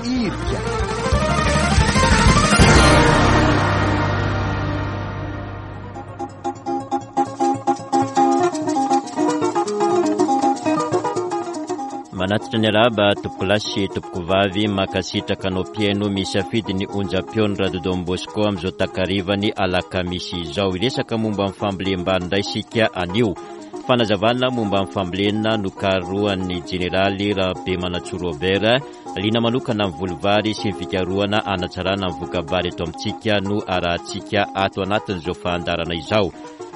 Irika. Manatitra ny arahaba tompokolahy sy tompokovavy mankasitraka anao mpihaino misafidy ny onjam-peon'ny Radio Don Bosco amin'izao takarivan'ny alakamisy izao. Hiresaka momba ny fambolem-bary indray isika anio. Fanazavana momba ny fambolena nokarohan'ny jeneraly Rabemanantsoa Robert, liana manokana amin'ny voly vary sy ny fikarohana hanatsarana ny voka-bary eto amintsika no arahantsika ato anatin'izao fandaharana izao.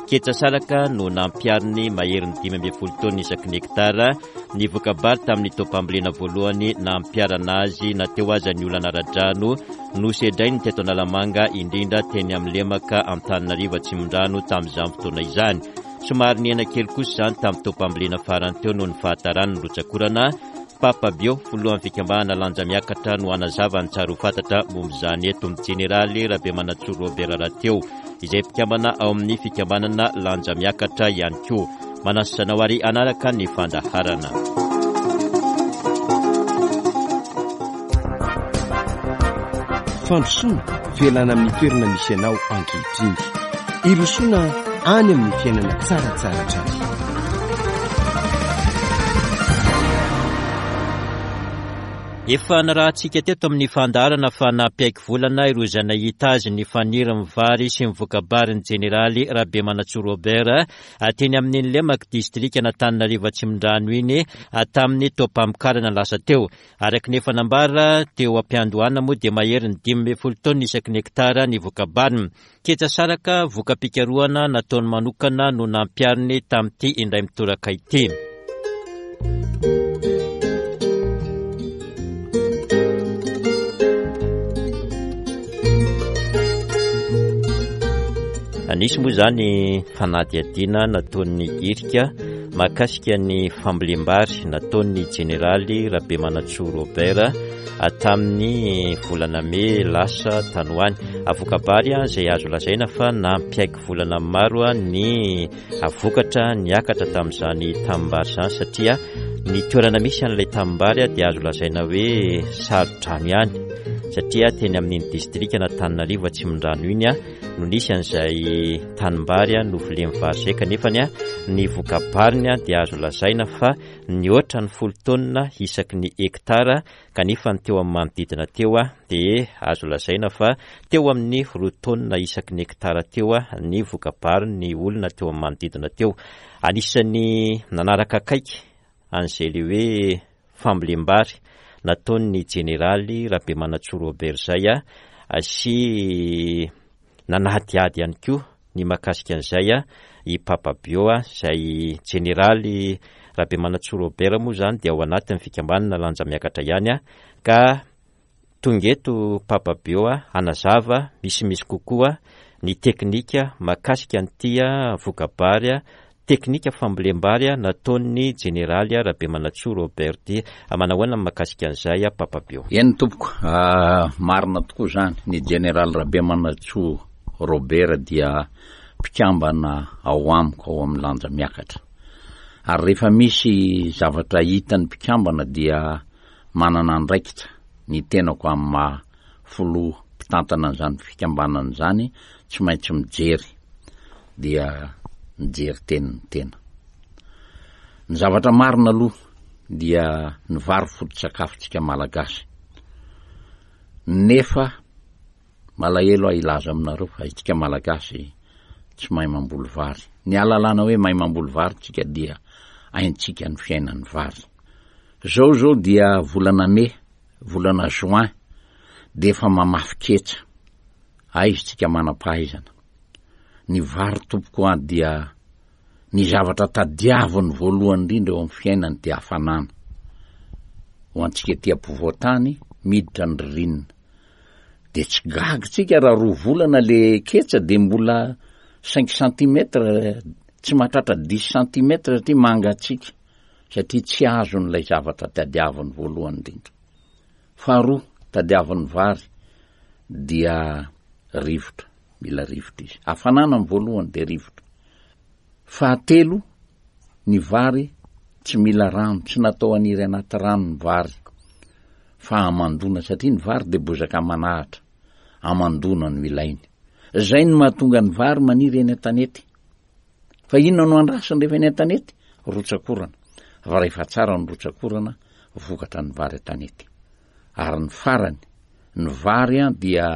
Ketsa salaka no nampihariny maherin'ny 15 taonina isaky ny hektara ny voka-bary tamin'ny taom-pambolena voalohany nampiharana azy na teo aza ny olana ara-drano nosedrainy teto Analamanga indrindra teny amin'ny lemaka Antananarivo Atsimondrano tamin'izany fotoana izany. Somary nihena kely kosa izany tamin'ny taom-pambolena farany teo noho ny fahataran'ny rotsak'orana. Papa Bio, filohan'ny fikambanana Lanja Miakatra no hanazava ny tsara ho fantatra momba izany eto. Jeneraly Rabemanantsoa Robert rahateo, izay mpikambana ao amin'ny fikambanana Lanja Miakatra ihany koa. Manasa anao ary hanaraka ny fandaharana. Fandrosoana, fialana amin'ny toerana misy anao ankehitriny. Hirosoana any amin'ny fiainana tsaratsara hatrany. Efa narahantsika teto amin'ny fandaharana fa nampiaiky volana ireo izay nahita azy ny fanirin'ny vary sy ny voka-barin'ny jeneraly Rabemanantsoa Robert teny amin'iny lemaky distrikan'Antananarivo Atsimondrano iny tamin'ny taom-pamokarana lasa teo. Araka ny efa nambara teo am-piandohana moa dia maherin'ny 15 taonina isaky ny hektara ny voka-bariny. Ketsa saraka, voka-pikarohana nataony manokana no nampihariny tamin'ity indray mitoraka ity. Nisy moa izany fanadihadiana nataon'ny irika mahakasika ny fambolem-bary nataon'ny jeneraly Rabemanantsoa Robert tamin'ny volana mey lasa tany ho any. Voka-bary izay azo lazaina fa nampiaiky volana maro ny vokatra niakatra tamin'izany tanimbary izany satria ny toerana misy an'ilay tanimbary dia azo lazaina hoe saro-drano ihany satria teny amin'iny distrikan'Antananarivo Atsimondrano iny no nisy an'izay tanimbary novolen'ny vary izay kanefa ny voka-bariny dia azo lazaina fa nihoatra ny folo taonina isaky ny hektara kanefa ny teo amin'ny manodidina teo dia azo lazaina fa teo amin'ny roa taonina isaky ny hektara teo ny voka-bary ny olona teo amin'ny manodidina teo. Anisan'ny nanaraka akaiky an'izay le hoe fambolem-bary nataon'ny jeneraly Rabemanantsoa Robert izay sy Nanadihady ihany koa ny mahakasika an'izay i Papa Bio, izay jeneraly Rabemanantsoa Robert moa izany dia ao anatin'ny fikambanana Lanja Miakatra ihany, ka tonga eto Papa Bio hanazava misimisy kokoa ny teknika mahakasika an'ity voka-bary Teknika fambolem-bary nataon'ny Jeneraly Rabemanantsoa Robert ity. Manahoana ny mahakasika an'izay Papa Bio? Eny tompoko, marina tokoa izany. Ny Jeneraly Rabemanantsoa Robert dia mpikambana ao amiko ao amin'ny Lanja Miakatra. Ary rehefa misy zavatra hitan'ny mpikambana dia manana andraikitra ny tenako amin'ny maha filoha mpitantana an'izany fikambanana izany tsy maintsy mijery dia mijery teny ny tena. Ny zavatra marina aloha dia ny vary foto-tsakafontsika Malagasy. Nefa malahelo aho hilaza aminareo fa isika Malagasy tsy mahay mamboly vary. Ny ahalalana hoe mahay mamboly vary tsika dia haintsika ny fiainan'ny vary. Zao zao dia volana mey, volana juin dia efa mamafy ketsa. Aiza tsika manam-pahaizana. Ny vary tompoko an dia ny zavatra tadiaviny voalohany indrindra eo amin'ny fiainany dia hafanana. Ho antsika aty ampovoan-tany miditra ny ririnina. Dia tsy gaga tsika raha roa volana le ketsa dia mbola cinq centimètres tsy mahatratra dix centimètres satria mangatsiaka satria tsy azony ilay zavatra tadiaviny voalohany indrindra. Faharoa tadiavin'ny vary dia rivotra. Mila rivotra izy. Hafanana ny voalohany dia rivotra. Fahatelo, ny vary tsy mila rano, tsy natao haniry anaty rano ny vary. fa hamandoana satria ny vary dia bozaka aman'ahitra, hamandoana no ilainy. Izay no mahatonga ny vary maniry eny an-tanety. Fa inona no andrasany rehefa eny an-tanety? Rotsak'orana. Fa rehefa tsara ny rotsak'orana, vokatra ny vary an-tanety. Ary ny farany, ny vary dia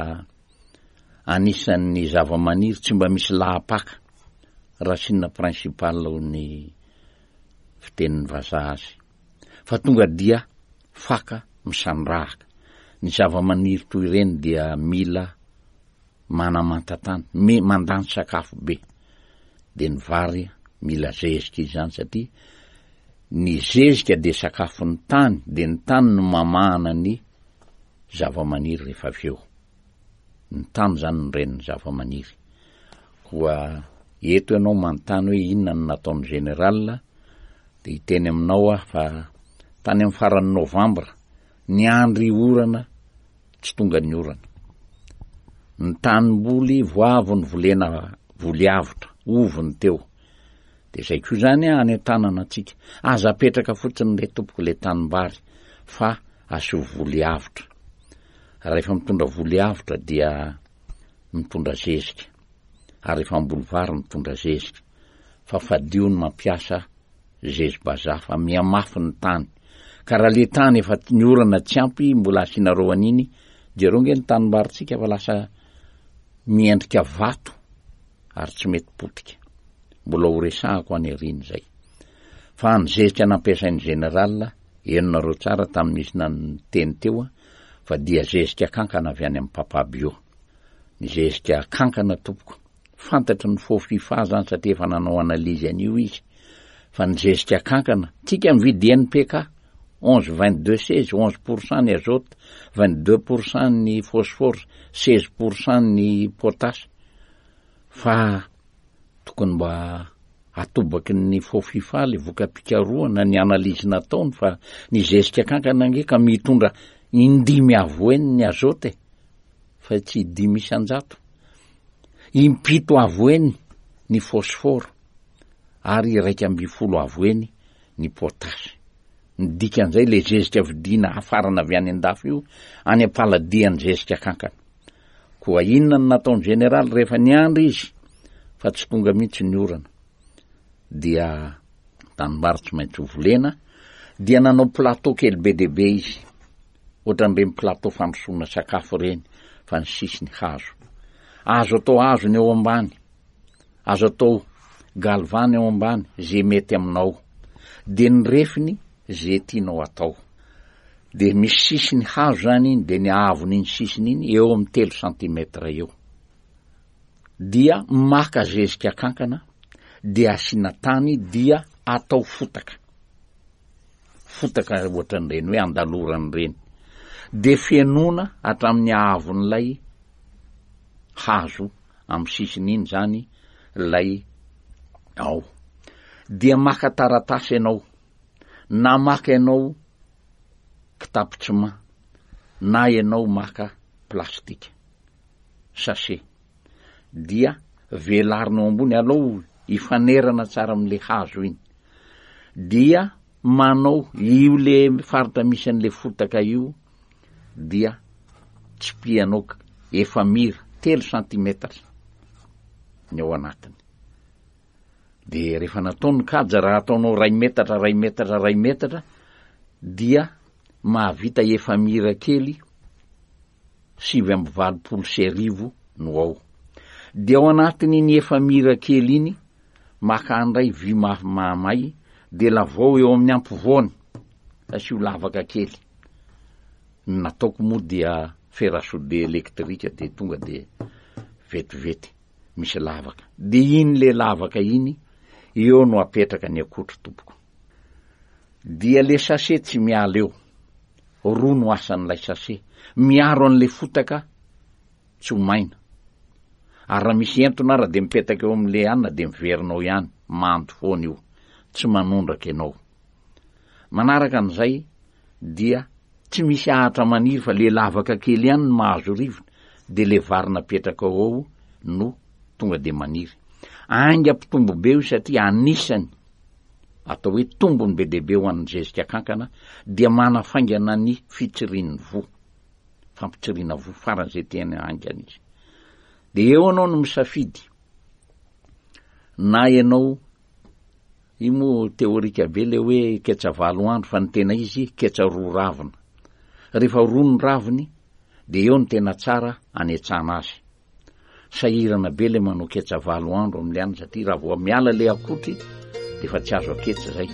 anisan'ny zavamaniry tsy mba misy lahapaka, racine principale hoy ny fitenin'ny vazaha azy, fa tonga dia faka misandrahaka. Ny zavamaniry toy ireny dia mila manamanta tany, me mandany sakafo be. Dia ny vary mila zezika izany satria ny zezika dia sakafon'ny tany, dia ny tany no mamahana ny zavamaniry rehefa avy eo. Ny tany izany no renin'ny zavamaniry. Koa eto ianao manontany hoe inona no nataon'ny général, dia hiteny aminao aho fa tany amin'ny faran'ny novambra, niandry orana, tsy tonga ny orana. Ny tanimboly voavo novolena voly avotra, ovy ny teo. Dia izay koa izany any an-tanana antsika. Aza apetraka fotsiny re tompoko ilay tanimbary fa asio voly avotra. Rahefa mitondra voly avotra dia mitondra zezika. Ary rehefa hamboly vary mitondra zezika. Fa fadio ny mampiasa zezi-bazaha fa mihamafy ny tany. Ka raha le tany efa ny orana tsy ampy mbola asianareo an'iny, jereo nge ny tanimbarintsika fa lasa miendrika vato ary tsy mety potika. Mbola ho resahako any aoriana izay. Fa ny zezika nampiasain'ny général, henonareo tsara tamin'ny nisy niteny teo fa dia zezika kankana avy any amin'ny Papa Bio. Ny zezika kankana tompoko, fantatry ny faux fifa zany satria efa nanao analyse an'io izy, fa ny zezika kankana, tsika mividy NPK, 11 22 16, 11 pour cent ny azote, 22 pour cent ny phosphore, 16 pour cent ny potasse. Fa tokony mba atobaky ny faux fifa le voka-pikarohana ny analyse nataony fa ny zezika kankana ange ka mitondra indimy avo heny ny azote e, fa tsy dimy isan-jato. Impito avo heny ny phosphore ary 11 avo heny ny potasy. Ny dikan'izay le zezika vidiana hafarana avy any an-dafy io any am-paladian'ny zezika kankana. Koa inona no nataon'ny jeneraly rehefa niandry izy fa tsy tonga mihitsy ny orana? Dia tanimbary tsy maintsy ho volena, dia nanao plateau kely be dia be izy, ohatran'ireny plateau fandrosoana sakafo ireny fa ny sisiny hazo. Azo atao hazo ny eo ambany, azo atao galvany eo ambany, ze mety aminao. Dia ny refiny ze tianao atao. Dia misy sisiny hazo zany iny dia ny haavon'iny sisiny iny eo amin'ny telo centimètre eo. Dia maka zezika kankana dia asiana tany dia atao fotaka. Fotaka ohatran'ireny hoe andalorana ireny. Dia fenoina hatramin'ny haavon'ilay hazo amin'ny sisiny iny zany ilay ao. Dia maka taratasy ianao Na maka ianao kitapo ciment na ianao maka plastika, sachet, dia velarina eo ambony, alao hifanerana tsara amin'le hazo iny, dia manao io le faritra misy an'le fotaka io dia tsipihanao efamira, telo centimètres ny ao anatiny. De rehefa natao ny kaja, raha ataonao ray metatra, ray metatra, ray metatra, dia mahavita efamira kely 1089 no ao. De ao anatin'iny efamira kely iny, maka andray vy mafy mahamay, de lavao eo amin'ny ampovoany, asio lavaka kely. Ny nataoko moa dia fer à souder électrique de tonga de vetivety. misy lavaka. De iny le lavaka iny, eo no apetraka ny akotry tompoko. Dia le sachet tsy miala eo. Roa no asan'ilay sachet. Miaro an'le fotaka tsy ho maina. Ary raha misy entona ara de mipetaka eo amin'le anona de miverina ao ihany, mando foana io. Tsy manondraka ianao. Manaraka an'izay dia tsy misy ahatra maniry fa le lavaka kely ihany no mahazo rivotra de le vary napetraka ao ao no tonga de maniry. Aingam-pitombo be io satria anisany. atao hoe tombony be dia be ho an'ny zezika kankana dia manafaingana ny fitsirian'ny voa. Fampitsiriana voa faran'izay tena haingana izy. Dia eo ianao no misafidy na ianao Io moa teorika be le hoe ketsa valo andro fa ny tena izy ketsa roa ravina. Rehefa roa ny raviny de eo no tena tsara anetsana azy. Sahirana be le manao ketsa valo andro amle any satria raha vao miala le akotry de efa tsy azo aketsa zay.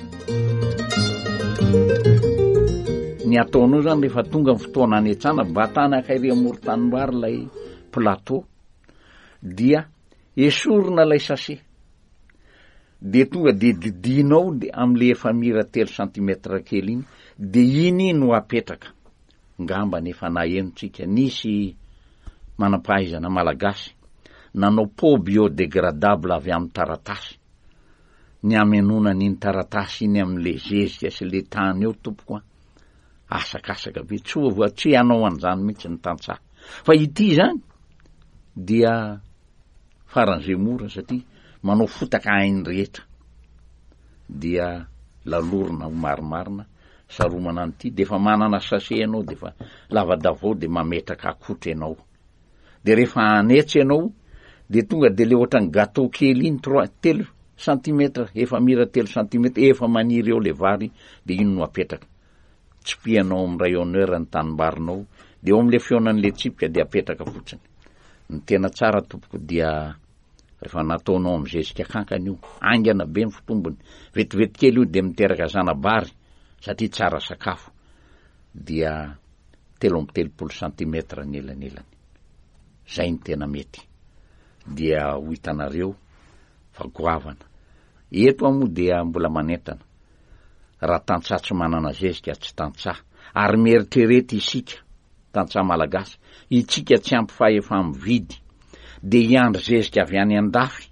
Ny ataonao zany rehefa tonga ny fotoana anetsana, batana akairy amoron-tanimbary ilay plateau dia esorina ilay sachet. Dia tonga dia didianao dia amin'ilay efamira telo centimètre kely iny dia iny no apetraka. Ngamba nefa naheno tsika nisy manam-pahaizana malagasy nanao pot biodégradable avy amin'ny taratasy. Ny hamenoana an'iny taratasy iny amin'ilay zezika sy ilay tany eo tompoko an, asakasaka be, tsy ho tsy hanao an'izany mihitsy ny tantsaha. Fa ity izany dia faran'izay mora satria manao fotaka hain'ny rehetra dia lalorina ho marimarina saromana an'ity dia efa manana sachet ianao dia efa lavadavao dia mametraka akotra ianao dia rehefa hanetsy ianao dia tonga dia le ohatran'ny gâteau kely iny trois telo centimètre efa mira telo centimètre efa maniry eo le vary dia iny no apetraka Tsipihanao amin'ny rayonneur ny tanimbarinao dia eo amin'ilay fihaonan'ilay tsipika dia apetraka fotsiny. Ny tena tsara tompoko dia rehefa nataonao amin'ny zezika kankana io, haingana be ny fitombony, vetivety kely io dia miteraka zana-bary satria tsara sakafo dia 33 centimètre ny elanelany. Zay ny tena mety. Dia ho hitanareo fa goavana. Eto aho moa dia mbola manentana. Raha tantsaha tsy manana zezika tsy tantsaha. Ary mieritrereta isika, tantsaha malagasy, itsika tsy ampy fahefa-mividy, dia hiandry zezika avy any an-dafy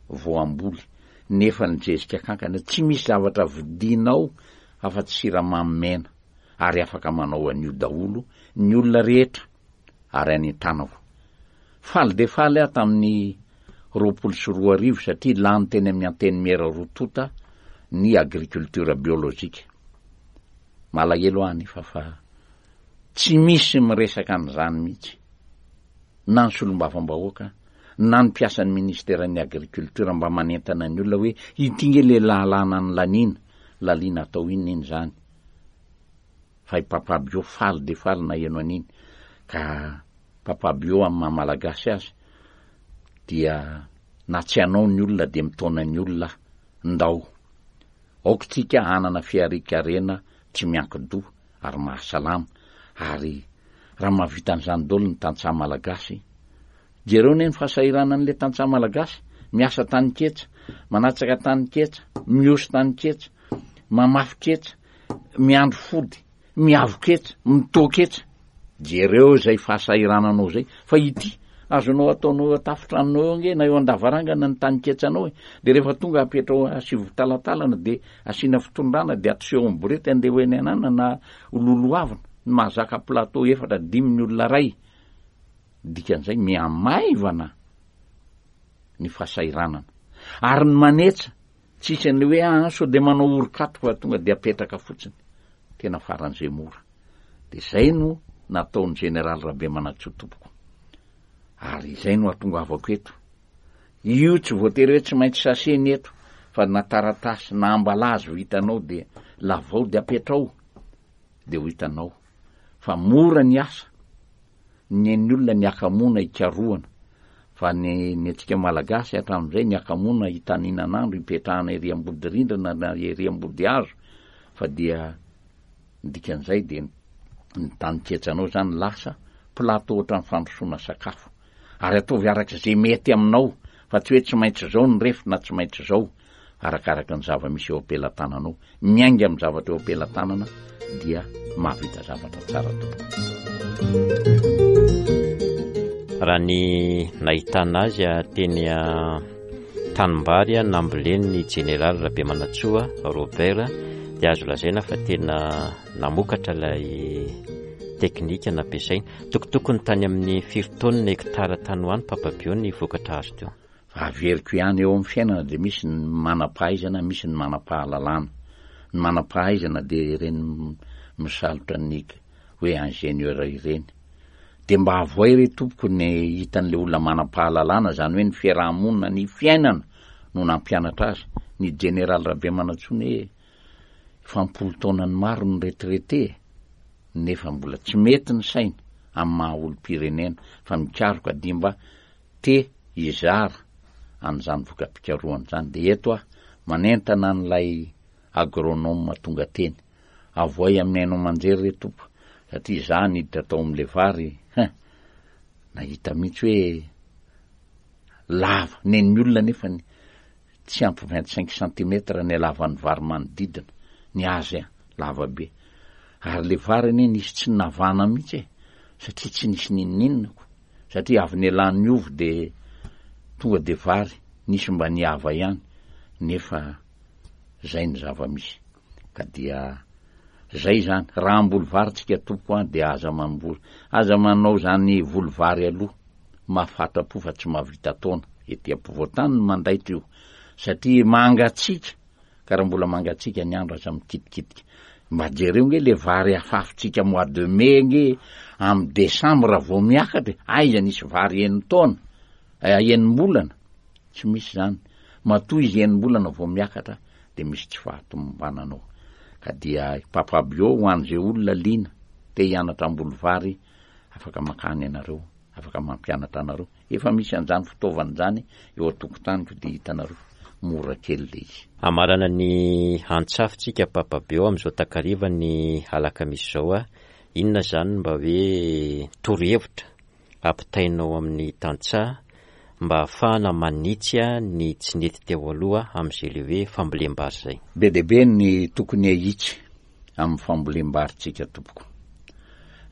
vao hamboly, nefa ny zezika kankana tsy misy zavatra vidianao afa-tsy siramamy mena, ary afaka manao an'io daholo ny olona rehetra. ary any an-tanako. Faly dia faly aho tamin'ny 2020 satria lany teny amin'ny Antenimiera roa tonta ny agriculture biologique. Malahelo aho anefa fa tsy misy miresaka an'izany mihitsy, na ny solombavambahoaka, na ny mpiasan'ny ministeran'ny agriculture mba manentana ny olona hoe ity nge le lalàna nolaniana, laliana atao inona iny izany. Fa i Papa Bio faly dia faly naheno an'iny ka Papa Bio amin'ny maha Malagasy azy dia na tsy hanao ny olona dia mitaona ny olona ndao aoka tsika hanana fiharian-karena tsy miankin-doha ary mahasalama ary raha mahavita an'izany daholo ny tantsaha Malagasy jereo anie ny fahasahiranan'ilay tantsaha Malagasy miasa taninketsa manatsaka taninketsa mihosy taninketsa mamafy ketsa miandry fody, miavo-ketsa, mitoa-ketsa. Jereo izay fahasahirananao izay, fa ity, azonao ataonao eo an-tafon-tranonao eo ange na eo an-davarangana ny taninketsanao e, dia rehefa tonga apetrao asivo talatalana dia asiana fitondrana dia atoseho amin'ny borety andeha ho eny anana na ho lolohavina, ny mahazaka plateau efatra dimy ny olona iray, dikan'izay mihamaivana ny fahasahiranana. Ary ny manetsa Tsisy an'le hoe aa sao dia manao orin-kato fa tonga dia apetraka fotsiny. Tena faran'izay mora. Dia izay no nataon'ny Général Rabemanantsoa tompoko. Ary izay no hatongavako eto. Io tsy voatery hoe tsy maintsy sachet ny eto fa na taratasy na ambalazy ho hitanao dia lavao dia apetrao dia ho hitanao fa mora ny asa. Ny an'ny olona ny hakamoana ikarohana, fa ny ny antsika Malagasy hatramin'izay ny hakamoana itaninan'andro ipetrahana ery ambody rindrina na ery ambody hazo fa dia ny dikan'izay dia ny taninketsanao izany lasa plateau ohatran'ny fandrosoana sakafo. Ary ataovy araka izay mety aminao fa tsy hoe tsy maintsy izao ny refy na tsy maintsy izao. Arakaraka ny zava-misy eo am-pelatananao. Miainga amin'ny zavatra eo am-pelatanana dia mahavita zavatra tsara tompoko. Raha ny nahitana azy teny tanimbary nambolen'ny jeneraly Rabemanantsoa Robert dia azo lazaina fa tena namokatra ilay teknika nampiasaina. Tokotokony tany amin'ny firy taonina hektara tany ho any Papa Bio ny vokatra azo teo? Fa averiko ihany, eo amin'ny fiainana dia misy ny manam-pahaizana, misy ny manam-pahalalana. Ny manam-pahaizana dia ireny misalotra ny hoe ingénieur ireny. Dia mba avoay re tompoko ny hitan'ilay olona manam-pahalalana, izany hoe ny fiaraha-monina, ny fiainana no nampianatra azy. Ny Jeneraly Rabemanantsoa anie efa am-polo taonany maro no retraité e! Nefa mbola tsy mety ny saina amin'ny maha olom-pirenena fa mikaroka dia mba te hizara an'izany voka-pikarohana izany. Dia eto aho manentana an'ilay agronome tonga teny. Avoay amin'ny haino aman-jery re tompo satria izaho niditra tao amin'ilay vary hein! Nahita mihitsy hoe lava, nen'ny olona nefa ny tsy ampy 25 centimètres ny halavan'ny vary manodidina, ny azy an, lava be. Ary le vary anie nisy tsy navana mihitsy e, satria tsy nisy n'inon'inona ko, satria avy nialan'ny ovy de tonga de vary, nisy mba niava ihany, nefa zay ny zava-misy. Ka dia zay zany, raha hamboly vary tsika tompoko an, de aza mamboly, aza manao zany voly vary aloha. Mahafatra-po fa tsy mahavita taona. Ety ampovoan-tany no mandaitra io satria mangatsiaka ka raha mbola mangatsiaka ny andro aza mikitikitika. Mba jereo nge le vary afafintsika mois de mai nge amin'ny décembre vao miakatra e! Aiza nisy vary enin-taona, enim-bolana? Tsy misy izany. Matoa izy enim-bolana vao miakatra dia misy tsy fahatomombanana ao. Ka dia Papa Bio ho an'izay olona liana te hianatra hamboly vary afaka mankany ianareo, afaka mampianatra anareo. Efa misy an'izany fitaovana izany eo an-tokotaniko dia hitanareo, mora kely ilay izy. Hamarana ny antsafintsika Papa Beo amin'izao takariva ny alakamisy izao a! Inona izany no mba hoe torohevitra ampitainao amin'ny tantsaha mba hahafahana manitsy ny tsy nety teo aloha amin'izay le hoe fambolem-bary izay? Be dia be ny tokony hahitsy amin'ny fambolem-barintsika tompoko.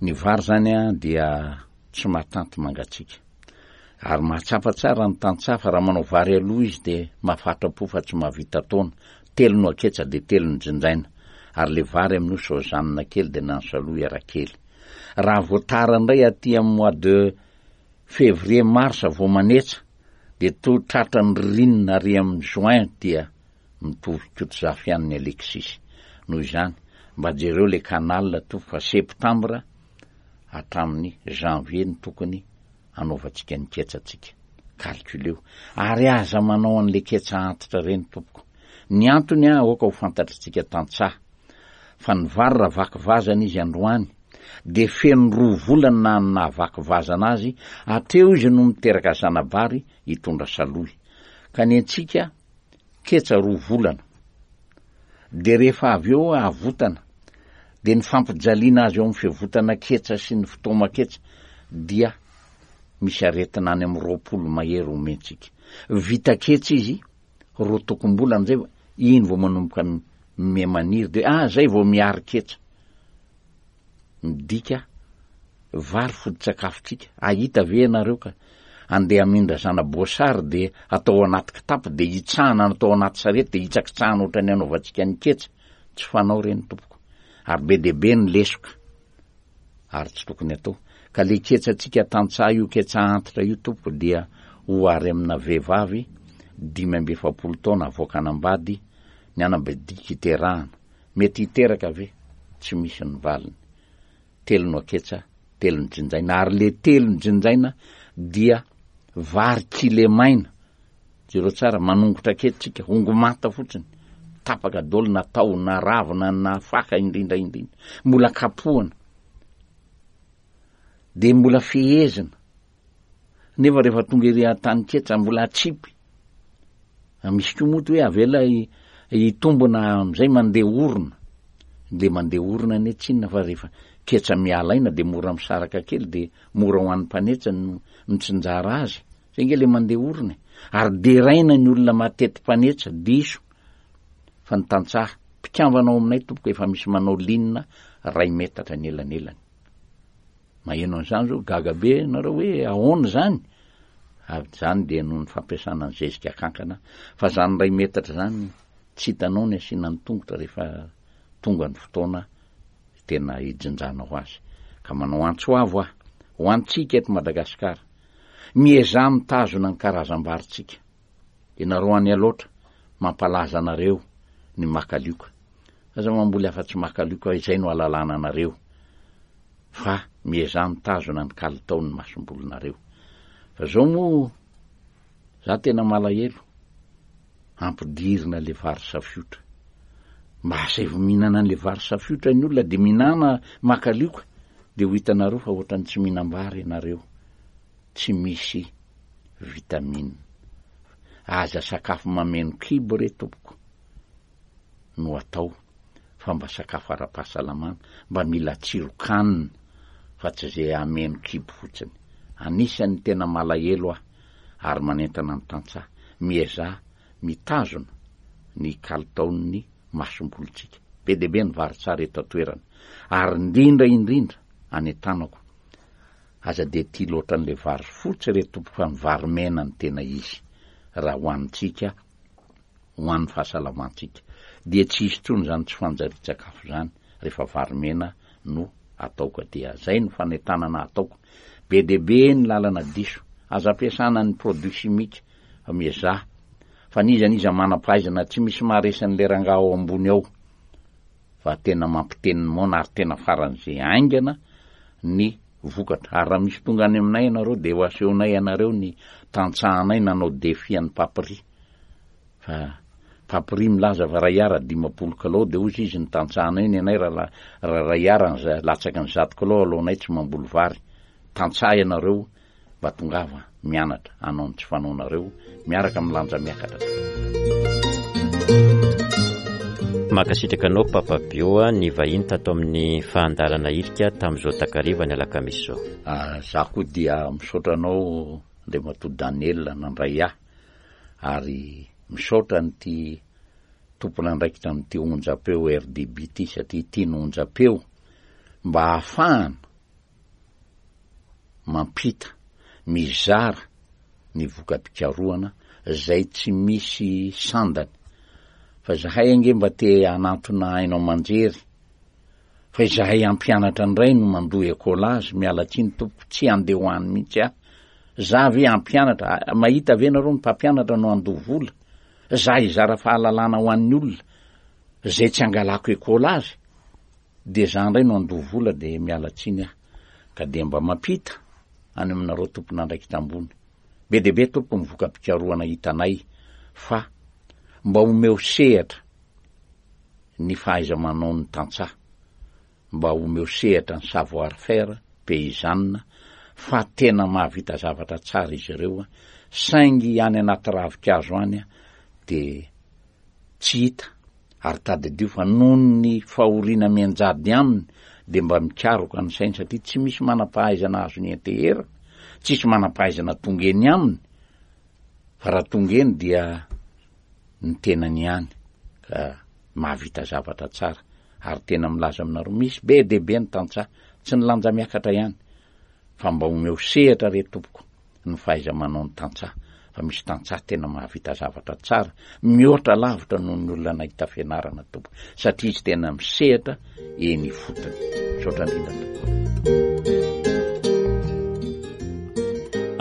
Ny vary zany dia tsy mahatanty mangatsiaka. Ary mahatsapa tsara ny tantsaha fa raha manao vary aloha izy dia mahafatra-po fa tsy mahavita taona. Telo no aketsa dia telo no jinjaina. Ary le vary amin'io sozanina kely dia na ny salohy ara kely. Raha vao tara indray aty amin'ny mois de février mars vao manetsa dia toa tratran'ny ririnina ary amin'ny juin dia Mitovy Kotozafy ihany ny Alexis. Noho izany, mba jereo le canal tompoko fa septembre hatramin'ny janvier no tokony hanaovantsika ny ketsantsika. Calculeo. Ary aza manao an'le ketsa antitra ireny tompoko. Ny antony an, aoka ho fantatritsika tantsaha fa ny vary raha vaky vazana izy androany dia feno roa volana na ny nahavaky vazana azy, hatreo izy no miteraka zana-bary hitondra salohy. Ka ny antsika ketsa roa volana. Dia rehefa avy eo avotana, dia ny fampijaliana azy eo amin'ny fiavotana ketsa sy ny fotoama-ketsa dia misy aretina any amin'ny 20 mahery omentsika. Vita ketsa izy, roa tokom-bolana izay, iny vao manomboka miha-maniry, dia ah, zay vao mihary ketsa. Midika vary foto-tsakafontsika. Ahita ve ianareo ka andeha hamindra zana-boasary dia atao anaty kitapo dia hitsahana na atao anaty sarety dia hitsakitsahana ohatran'ny anaovantsika ny ketsa? Tsy fanao ireny tompoko. Ary be dia be ny lesoka ary tsy tokony atao. Ka le ketsantsika tantsaha io ketsa antitra io tompoko dia ohary amina vehivavy 45 taona avoaka hanambady ny anabadiaka iterahana. Mety hiteraka ve? Tsy misy ny valiny. Telo no aketsa, telo no jinjaina. Ary le telo no jinjaina dia vary kilemaina. Jereo tsara, manongotra kely tsika, hongo manta fotsiny. Tapaka daholo na taho na ravina na faka indrindra indrindra. Mbola kapohana. Dia mbola fehezina. Nefa rehefa tonga ery an-tany ketsa mbola atsipy. Misy koa moa hoe avela hitombona amin'izay mandeha orona. Le mandeha orona anie tsy inona fa rehefa ketsa miala aina dia mora misaraka kely dia mora ho an'ny mpanetsa no mitsinjara azy. Zay nge le mandeha orona e. Ary deraina ny olona matety mpanetsa, diso. Fa ny tantsaha mpikambana ao aminay tompoko efa misy manao ligne ray metatra ny elanelany. Maheno an'izany zao gaga be nareo hoe ahoana izany? Avy izany dia noho ny fampiasana ny zezika kankana fa zany iray metatra zany tsy hitanao ny asiana ny tongotra rehefa tonga ny fotoana tena hijinjanao azy. Ka manao antso avo aho ho antsika eto Madagasikara, miezaha mitazona ny karazam-barintsika. Ianareo any Alaotra, mampalaza anareo ny makalioka. Aza mamboly afa-tsy makalioka, izay no ahalalana anareo. Fa miezaha mitazona ny kalitaon'ny masombolinareo. Fa zao moa, za tena malahelo, ampidirina le vary safiotra. Mba asaivo mihinana an'le vary safiotra ny olona de mihinana makalioka, de ho hitanareo fa ohatran'ny tsy mihinam-bary ianareo. Tsy misy vitamine. Aza sakafo mameno kibo re tompoko no atao fa mba sakafo ara-pahasalamana, mba mila tsiron-kanina fa tsy ze hameno kibo fotsiny. Anisan'ny tena malahelo aho ary manentana ny tantsaha, miezaha mitazona ny kalitaon'ny masombolintsika. Be dia be ny vary tsara eto an-toerana ary indrindra indrindra any an-tanako. Aza dia tia loatra an'ilay vary fotsy re tompoko fa ny vary mena no tena izy raha hohanintsika ho an'ny fahasalamantsika. Dia tsy hisy intsony izany tsy fanjarian-tsakafo izany rehefa vary mena no atao ka dia zay no fanentanana ataoko. Be dia be ny lalana diso. Aza ampiasana ny produit chimique fa miezaha fa n'iza n'iza manam-pahaizana tsy misy maharesy an'ilay rangahy ao ambony ao fa tena mampiteny ny moana ary tena faran'izay haingana ny vokatra. Ary raha misy tonga any aminay ianareo dia ho asehonay anareo ny tantsahanay nanao défi an'i Papri. Fa Papri milaza fa ray ara 50 kilao dia hozy izy ny tantsahanay ny anay raha raha ray ara ny latsaky ny zato kilao alohanay tsy mamboly vary. Tantsaha ianareo Mba tongava mianatra hanao ny tsy fanaonareo miaraka amin'ny lanja miakatra. Mankasitraka anao Papa Bio a, nivahiny tato amin'ny fahandarana irika tamin'izao takariva ny alakamisy izao. Za koa dia misaotra anao Andriamatoa Daniel nandray ahy ary misaotra an'ity tompon'andraikitra amin'ity onjam-peo RDB ity satria ity no onjam-peo mba ahafahana mampita, mizara ny voka-pikarohana izay tsy misy sandany. Fa izahay ange mba te hanantona haino aman-jery, fa izahay hampianatra indray no mandoa écolage, miala tsiny tompoko, tsy handeha ho any mihitsy aho. Za ve hampianatra, mahita ve nareo ny mpampianatra no handoa vola? Za hizara fahalalana ho an'ny olona izay tsy hangalako écolage? Dia za ndray no andoa vola dia miala tsiny aho ka dia mba mampita any aminareo tompon'andraikitra ambony. Be dia be tompoko ny voka-pikarohana hitanay fa mba omeo sehatra ny fahaiza-manaon'ny tantsaha, mba omeo sehatra ny savoir faire paysanne fa tena mahavita zavatra tsara izy ireo saingy any anaty ravinkazo any dia tsy hita Ary tadidio fa noho ny fahoriana mianjady aminy dia mba mikaroka ny sainy satria tsy misy manam-pahaizana azony ianteherana, tsisy manam-pahaizana tonga eny aminy fa raha tonga eny dia ny tenany ihany ka mahavita zavatra tsara ary tena milaza aminareo misy be dia be ny tantsaha tsy ny lanja miakatra ihany fa mba omeo sehatra re tompoko ny fahaiza-manao ny tantsaha fa misy tantsaha tena mahavita zavatra tsara mihoatra lavitra noho ny olona nahita fianarana tompoko satria izy tena misehatra eny ifotony. Misaotra indrindra tompoko.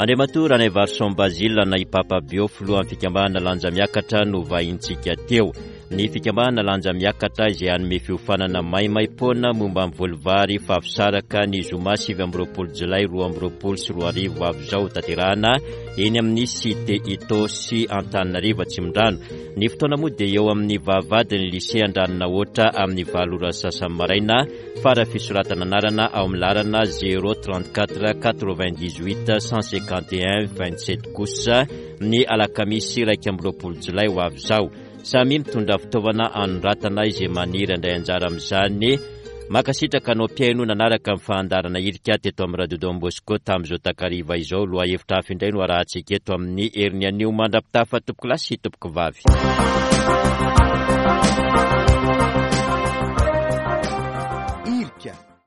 Andriamatoa Ranaivarison Basile na i Papa Bio, filohan'ny fikambanana Lanja Miakatra no vahintsika teo. Ny fikambanana Lanja Miakatra izay hanome fiofanana maimaimpoana momba ny voly vary Favosaraka ny zoma 29 jolay 2022 ho avy izao hotanterahana eny amin'ny Cité Itaosy Antananarivo Atsimondrano. Ny fotoana moa dia eo amin'ny vavahadin'ny Lycée Andranonahoatra amin'ny valo ora sasany maraina fara fisoratana anarana ao amin'ny laharana 034 98 151 27 kosa ny alakamisy 21 jolay ho avy izao. Samy mitondra fitaovana anoratana izay maniry handray anjara amin'izany. Mankasitraka anao mpihaino nanaraka ny fahandarana irika teto amin'ny Radio Don Bosco tamin'izao takariva izao. Lohahevitra hafa indray no arahantsika eto amin'ny heriny anio mandra-pitafa tompokolahy sy tompokovavy.